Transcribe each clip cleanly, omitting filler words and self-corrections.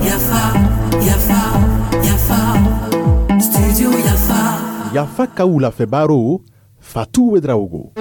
Yafa, yafa, yafa, studio Yafa. Yafa ka wulafɛ baro, Fatu Ouédraogo.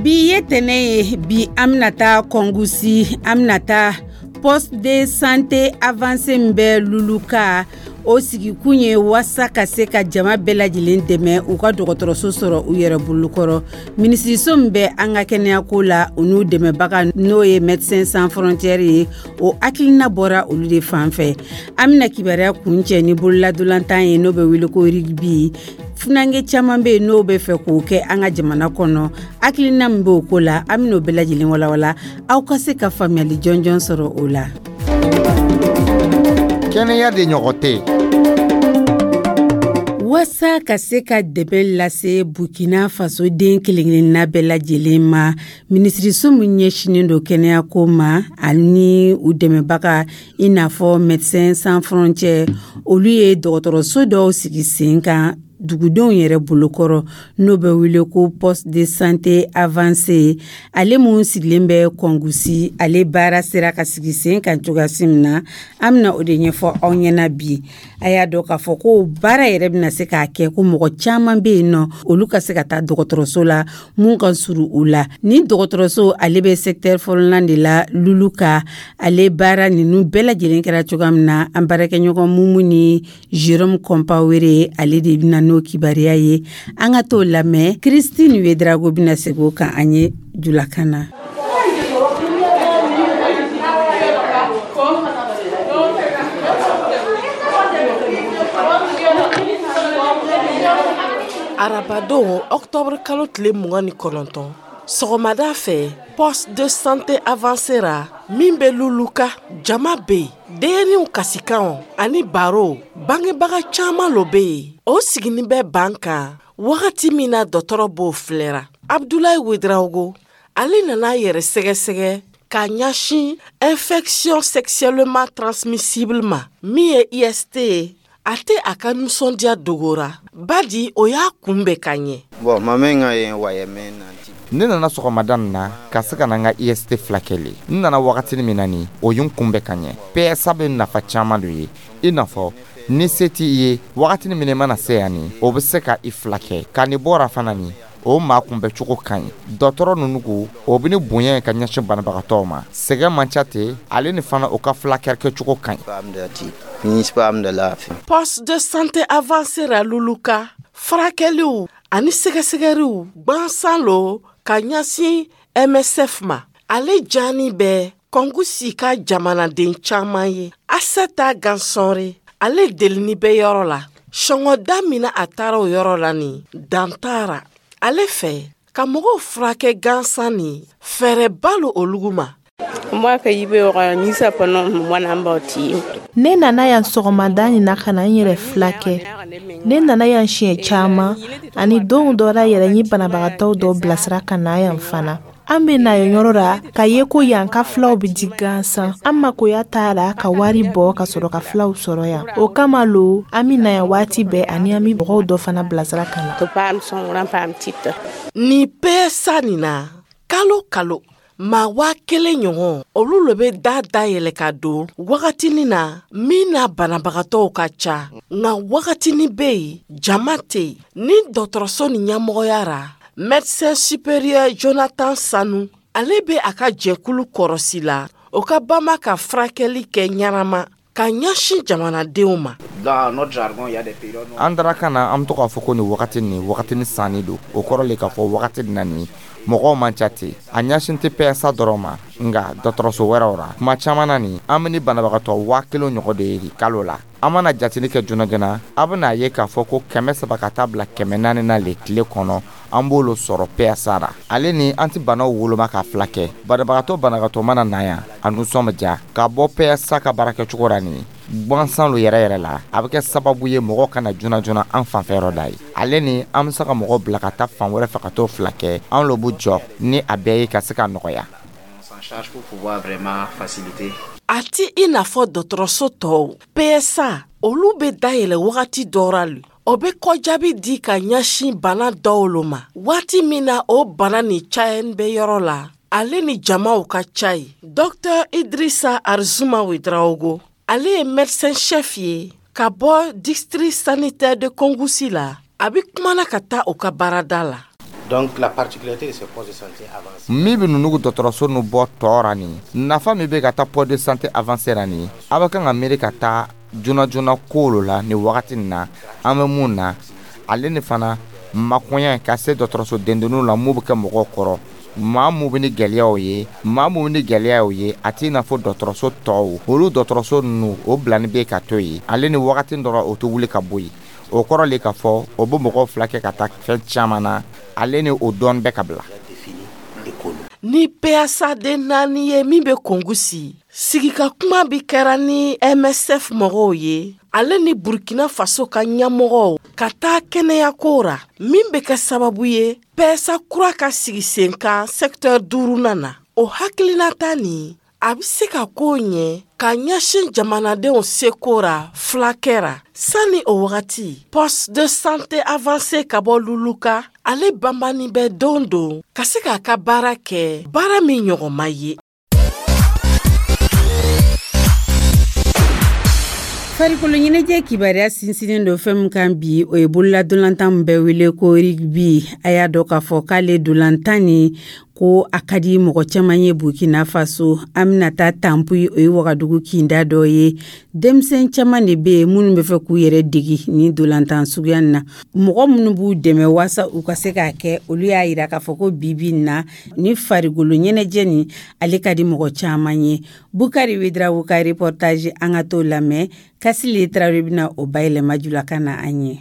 Bi ye tɛnɛ ye. Bi, an bɛna taa Kɔngusi, an bɛna taa poste de santé avancé min bɛ Luluka. O sigikun ye waasa ka se ka jama bɛɛ lajɛlen dɛmɛ, u ka dɔgɔtɔrɔso sɔrɔ u yɛrɛ bolokɔrɔ. Minisiriso min bɛ an ka kɛnɛyako la, u n'u dɛmɛbaga, n'o ye Médecins Sans Frontières ye, o hakilina bɔra olu de fan fɛ. An bɛna kibaruya kuncɛ ni bololadolantan ye, n'o bɛ wele ko rugby. Funankɛ caman bɛ yen n'o bɛ fɛ k'o kɛ an ka jamana kɔnɔ. Hakilina min b'o ko la, an bɛn'o bɛɛ lajɛlen walawala, aw ka se ka faamuyali jɔnjɔn sɔrɔ o la. Kɛnɛya de ɲɔgɔn tɛ. Waasa ka se ka dɛmɛ lase Burkina Faso den kelenkelenna bɛɛ lajɛlen ma, minisiriso min ɲɛsinnen don kɛnɛyako ma ani u dɛmɛbaga, i n'a fɔ Médecins Sans Frontières, olu ye dɔgɔtɔrɔso dɔw sigi sen kan dugudenw yɛrɛ bolokɔrɔ, n'o bɛ wele ko poste de santé avancé. Ale mun sigilen bɛ Kɔngusi, ale baara sera ka sigi sen kan cogoyasi min na, an bɛna o de ɲɛfɔ aw ɲɛna bi. A y'a dɔn k'a fɔ ko baara yɛrɛ bɛna se k'a kɛ ko mɔgɔ caman bɛ yen nɔ, olu ka se ka taa dɔgɔtɔrɔso la mun ka suru u la. Ni dɔgɔtɔrɔso, ale bɛ secteur fɔlɔlan de la Luluka. Ale baara ninnu bɛɛ lajɛlen kɛra cogoya min na, an baarakɛɲɔgɔn Mumu ni Jérôme Kɔnpawere, ale de bɛna n'o kibaruya ye. An ka t'o lamɛn. Christine Ouédraogo bɛna segin o kan an ye julakan na. Arabadon, octobre kalo tile 29, sɔgɔmada fɛ, poste de santé avancé ra min bɛ Luluka, jama bɛ yen, denyɛrɛninw kasikanw ani baro. Bangebaga caman lo bɛ yen, o siginin bɛ ban kan wagati min na dɔgɔtɔrɔ b'o filɛra. Abdulayi Ouédraogo, ale nana a yɛrɛ sɛgɛsɛgɛ k'a ɲɛsin infection sexuellement transmissible ma, min ye IST ye. A tɛ a ka nisɔndiya dogora, badi o y'a kunbɛn ka ɲɛ. Ne nana sɔgɔmada nin na ka se ka na n ka IST filakɛ le. N nana wagatini min na nin, o ye n kunbɛn ka ɲɛ. PSA bɛ nafa caman do ye, i n'a fɔ ni se t'i ye wagatini min i mana se yan nin, o bɛ se ka i filakɛ ka nin bɔra fana nin, o maa kunbɛcogo ka ɲi. Dɔgɔtɔrɔ ninnu ko o bɛ ni bonya ye ka ɲɛsin banabagatɔw ma, sɛgɛn man ca ten. Ale ni fana, o ka filakɛ kɛcogo ka ɲi. Poste de santé avancé ra Luluka, furakɛliw ani sɛgɛsɛgɛliw gwansan lo ka ɲɛsin MSF ma. Ale jani bɛ Kɔngusi ka jamanaden caman ye. Aseta Gansɔnre, ale delini bɛ yɔrɔ la sɔngɔda min na, a taara o yɔrɔ la nin dan taara ale fɛ ka mɔgɔw furakɛ gansan nin, fɛɛrɛba lo olugu ma. Ne nana yan sɔgɔmada nin na ka na n yɛrɛ filakɛ. Ne nana yan siɲɛ caman, ani don dɔ la yɛrɛ, n ye banabagatɔw dɔ bilasira ka na yan fana. An bɛ na yen yɔrɔ la ka ye ko yan ka filaw bɛ di gansan. An makoya t'a la ka wari bɔ ka sɔrɔ ka filaw sɔrɔ yan. O kama lo an bɛ na yan waati bɛɛ, ani an bɛ mɔgɔw dɔ fana bilasira ka na. Nin PSA nin na, kalo kalo, maa 1000 ɲɔgɔn, olu le bɛ da dayɛlɛ ka don wagatinin na min na banabagatɔw ka ca, nka wagatinin bɛ yen, jama tɛ yen. Ni dɔgɔtɔrɔso nin ɲɛmɔgɔya ra, médecin supérieur Jonathan Sanu, ale bɛ a ka jɛkulu kɔrɔsi la, o ka bama ka furakɛli kɛ ɲɛnama ka ɲɛsin jamanadenw ma. An dara ka na, an bɛ to k'a fɔ ko nin wagati nin, wagati ni sanni don. O kɔrɔ le k'a fɔ wagati nin na nin, mɔgɔw man ca ten. A ɲɛsin tɛ PSA dɔrɔn ma, nka dɔgɔtɔrɔso wɛrɛw ra. Kuma caman na nin, an bɛ ni banabagatɔ 1000 ɲɔgɔn de ye kalo la. An mana jateli kɛ joona joona, a bɛna ye k'a fɔ ko 300 ka taa bila 400 na le tile kɔnɔ, an b'olu sɔrɔ PSA ra. Ale ni an tɛ banaw woloma ka fila kɛ. Banabagatɔ banabagatɔ mana na yan, a nisɔn bɛ diya ka bɔ PSA ka baarakɛcogo ra. Nin gansan lo yɛrɛ yɛrɛ la, a bɛ kɛ sababu ye mɔgɔ kana joona joona an fanfɛ yɔrɔ da ye. Ale ni an bɛ se ka mɔgɔ bila ka taa fan wɛrɛ fɛ ka t'o fila kɛ. An lo b'u jɔ ni a bɛɛ ye ka se ka nɔgɔya. A ti i n'a fɔ dɔgɔtɔrɔso tɔw, PSA olu bɛ dayɛlɛ wagati dɔ ra le. O bɛ kɔjaabi di ka ɲɛsin bana dɔw lo ma waati min na o bana nin cayani bɛ yɔrɔ la, ale ni jamaw ka ca ye. Dr Idrissa Arzuma Ouedraogo, ale ye médecin chef ye ka bɔ district sanitaire de Kongoussi la. A bɛ kumana ka taa o ka baarada la. Donc la particularité de ces postes de santé avancés. Min bɛ ninnu dɔgɔtɔrɔso nu bɔ tɔ ra nin, nafa min bɛ ka taa poste de santé avancé ra nin, a bɛ kan ka miiri ka taa joona joona ko lo la nin wagati nin na. An bɛ mun na, ale ni fana makoɲɛ ka se dɔgɔtɔrɔso dendenninw la, mun bɛ kɛ mɔgɔw kɔrɔ, maa mun bɛ ni gɛlɛyaw ye, maa mun bɛ ni gɛlɛyaw ye, a t'i n'a fɔ dɔgɔtɔrɔso tɔw. Olu dɔgɔtɔrɔso ninnu, o bilani bɛ ka to yen, ale ni wagati dɔrɔn o tɛ wuli ka bɔ yen. O kɔrɔ le k'a fɔ o bɛ mɔgɔw fila kɛ ka taa fɛn caman na, ale ni o dɔɔni bɛ ka bila. Ni PSA den 4 ye min bɛ Kongoussi, sigika kuma bi kɛra ni MSF mɔgɔw ye, ale ni Burkina Faso ka ɲɛmɔgɔw ka taa kɛnɛyako ra, min bɛ kɛ sababu ye PSA kura ka sigi sen kan secteur 5nan na. O hakilinata nin, a bɛ se ka ko ɲɛ ka ɲɛsin jamanadenw seko ra fulakɛ ra. Sani o wagati, poste de santé avancé ka bɔ Loulouka, ale banbani bɛ don don ka se k'a ka baara kɛ, baara min ɲɔgɔn ma ye. Farikolo ɲɛnajɛ kibaruya sinsinnen don fɛn min kan bi, o ye bololadolantan min bɛ wele ko rugby. A y'a dɔn k'a fɔ k'ale dolantan nin ko a ka di mɔgɔ caman ye Burkina Faso. An bɛna taa Tanpuyi, o ye Wagadugu kinda dɔ ye. Denmisɛn caman de bɛ yen minnu bɛ fɛ k'u yɛrɛ degi nin dolantan suguya na. Mɔgɔ minnu b'u dɛmɛ waasa u ka se k'a kɛ, olu y'a yira k'a fɔ ko bi bi in na ni farikolo ɲɛnajɛ nin, ale ka di mɔgɔ caman ye. Bukari Ouedraogo ka reportage, an ka t'o lamɛn. Kasile Tarawele bɛna o bayɛlɛma julakan na an ye.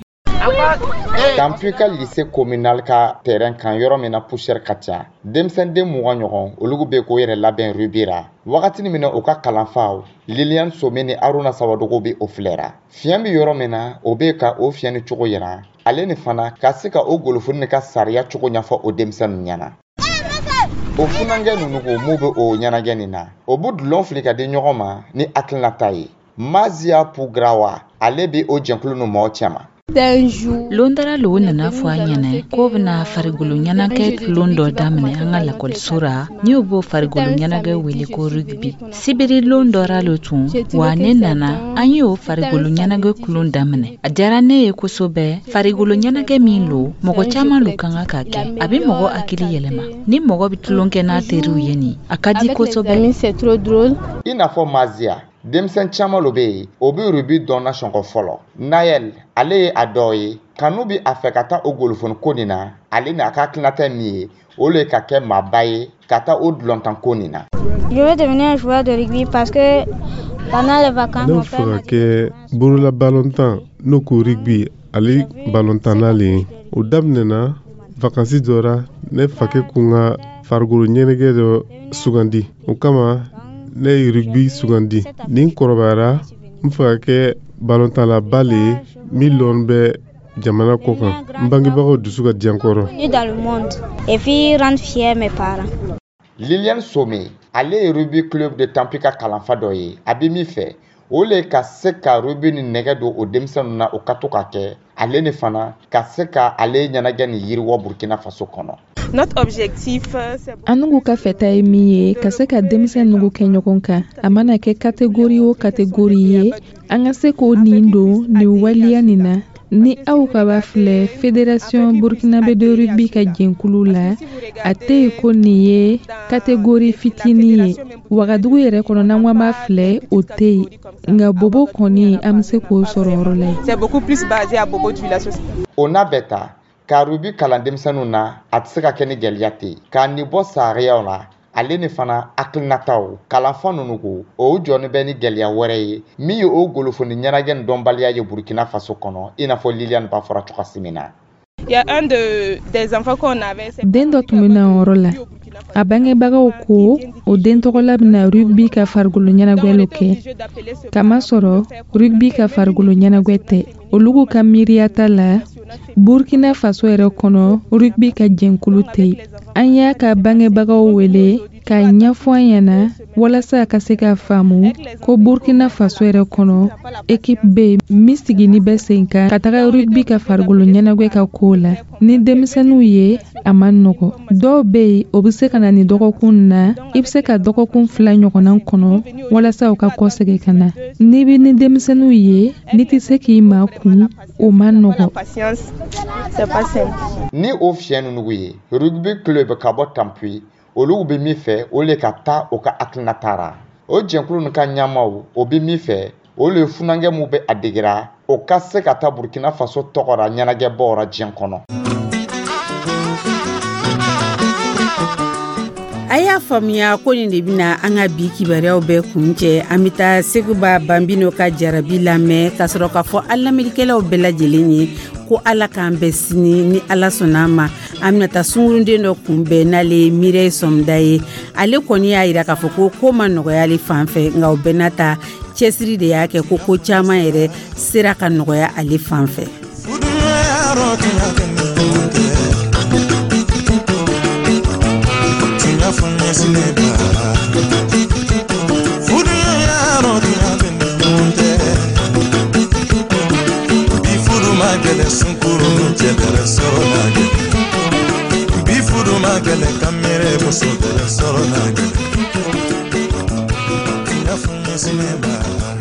Tanpuyi ka lycée communal ka terrain kan, yɔrɔ min na poussière ka ca, denmisɛnden 20 ɲɔgɔn, olu bɛ k'o yɛrɛ labɛn rugby ra. Wagatini min na u ka kalanfaw Liliane Some ni Aruna Sawadogo bɛ o filɛra, fiɲɛ bɛ yɔrɔ min na, o bɛ ka o fiɲɛ ni cogo yira, ale ni fana ka se ka o golofoni ka sariya cogo ɲɛfɔ o denmisɛnninw ɲɛna. O funankɛ ninnu ko mun bɛ o ɲɛnajɛ nin na, o bɛ dulon fili ka di ɲɔgɔn ma ni hakilinata ye. Mazia Pugrawa, ale bɛ o jɛkulu ninnu mɔgɔ cɛma. Lon dara lo nana fɔ an ɲɛna k'o bɛna farikolo ɲɛnajɛ tulon dɔ daminɛ an ka lakɔliso ra, ni o b'o farikolo ɲɛnajɛ wele ko rugby. Sibiri lon dɔra lo tun wa, ne nana, an ye o farikolo ɲɛnajɛ tulon daminɛ. A diyara ne ye kosɛbɛ. Farikolo ɲɛnajɛ min lo, mɔgɔ caman lo ka kan ka kɛ. A bɛ mɔgɔ hakili yɛlɛma. Ni mɔgɔ bɛ tulon kɛ n'a teriw ye nin, a ka di kosɛbɛ. I n'a fɔ Mazia, denmisɛn caman lo bɛ yen, o bɛ rugby dɔn na sɔngɔ fɔlɔ. Nayel, ale ye a dɔ ye. Kanu bɛ a fɛ ka taa o golofoni ko nin na. Ale ni a ka hakilinata min ye, o le ka kɛ maaba ye ka taa o dulɔntan ko nin na. Je veux devenir un joueur de rugby parce que pendant les vacances, Ne bɛ fɛ ka kɛ bolola balontan, n'o ko rugby, ale balontanna le ye. O daminɛna vakansi dɔ ra, ne fakɛ kun ka farikolo ɲɛnajɛ dɔ sugandi, o kama ne ye rugby sugandi. Ni n kɔrɔbayara, n fɛ ka kɛ balontanlaba le ye min lɔn bɛ jamana kɔ kan, n bangebagaw dusu ka diya n kɔrɔ. Dans le monde et puis rendre fier mes parents. Liliane Some, ale ye rugby club de Tanpuyi ka kalanfa dɔ ye. A bɛ min fɛ, o le ka se ka rugby ni nɛgɛ don o denmisɛnninw na, o ka to ka kɛ, ale ni fana ka se ka ale ɲɛnajɛ ni yiriwɔ Burkina Faso kɔnɔ. Notre objectif, An ka fɛta ye min ye, ka se ka denmisɛn nugu kɛ ɲɔgɔn kan, a mana kɛ catégorie o catégorie ye, an ka se k'o nin don nin waleya nin na. Ni aw ka b'a filɛ Fédération burkinabé de rugby ka jɛnkulu la, a tɛ yen ko nin ye catégorie fitinin ye. Wagadugu yɛrɛ kɔnɔ, n'an ko an b'a filɛ, o tɛ yen, nka Bobo kɔni, an bɛ se k'o sɔrɔ yɔrɔ la yen. C'est beaucoup plus basé à Bobo Dioulasso. O n'a bɛɛ ta ka rugby kalan denmisɛnninw na, a tɛ se ka kɛ ni gɛlɛya tɛ yen k'a nin bɔ sariyaw la, ale ni fana hakilinataw. Kalanfa ninnu ko o jɔni bɛ ni gɛlɛya wɛrɛ ye, min ye o golofoni ɲɛnajɛ ni dɔnbaliya ye Burkina Faso kɔnɔ, i n'a fɔ Liliane b'a fɔra cogoya min na. Il y a un des enfants qu'on avait. Den dɔ tun bɛ na o yɔrɔ la, a bangebagaw ko o den tɔgɔla bɛna rugby ka farikolo ɲɛnajɛ kɛ, kamasɔrɔ rugby ka farikolo ɲɛnajɛ tɛ olugu ka miiriyata la. Burkina Faso yɛrɛ kɔnɔ, rugby ka jɛnkulu tɛ yen. An y'a ka bangebagaw wele. K'a ɲɛfɔ an ɲɛna walasa a ka se k'a faamu ko Burkina Faso yɛrɛ kɔnɔ, ekipe bɛ yen min sigini bɛ sen kan ka taga rugby ka farikolo ɲɛnajɛ ka ko la ni denmisɛnninw ye. A man nɔgɔ. Dɔw bɛ yen, o bɛ se ka na ni dɔgɔkun na, i bɛ se ka dɔgɔkun 2 ɲɔgɔnna kɔnɔ walasa u ka kɔsegin ka na. N'i bɛ ni denmisɛnninw ye, n'i tɛ se k'i makun, o man nɔgɔ. Ni o fiɲɛ ninnu ye, rugby club ka bɔ Tampui, olu bɛ min fɛ, o le ka taa o ka hakilinata ra. O jɛnkulu nin ka ɲɛmaw, o bɛ min fɛ, o le ye funankɛ min bɛ a degera, o ka se ka taa Burkina Faso tɔgɔ ra ɲɛnajɛbaw ra diɲɛ kɔnɔ. A y'a faamuya ko nin de bɛna an ka bi kibaruyaw bɛɛ kuncɛ. An bɛ taa Seguba Banbino ka jarabi lamɛn ka sɔrɔ k'a fɔ an lamɛnnikɛlaw bɛɛ lajɛlen ye ko Ala k'an bɛn sini ni Ala sɔnna a ma. An bɛna taa sunkurunden dɔ kunbɛn, n'ale ye Mireille Sɔmda ye. Ale kɔni y'a yira k'a fɔ ko ko ma nɔgɔya ale fan fɛ, nka o bɛɛ n'a ta, cɛsiri de y'a kɛ ko ko caman yɛrɛ sera ka nɔgɔya ale fan fɛ. Muso.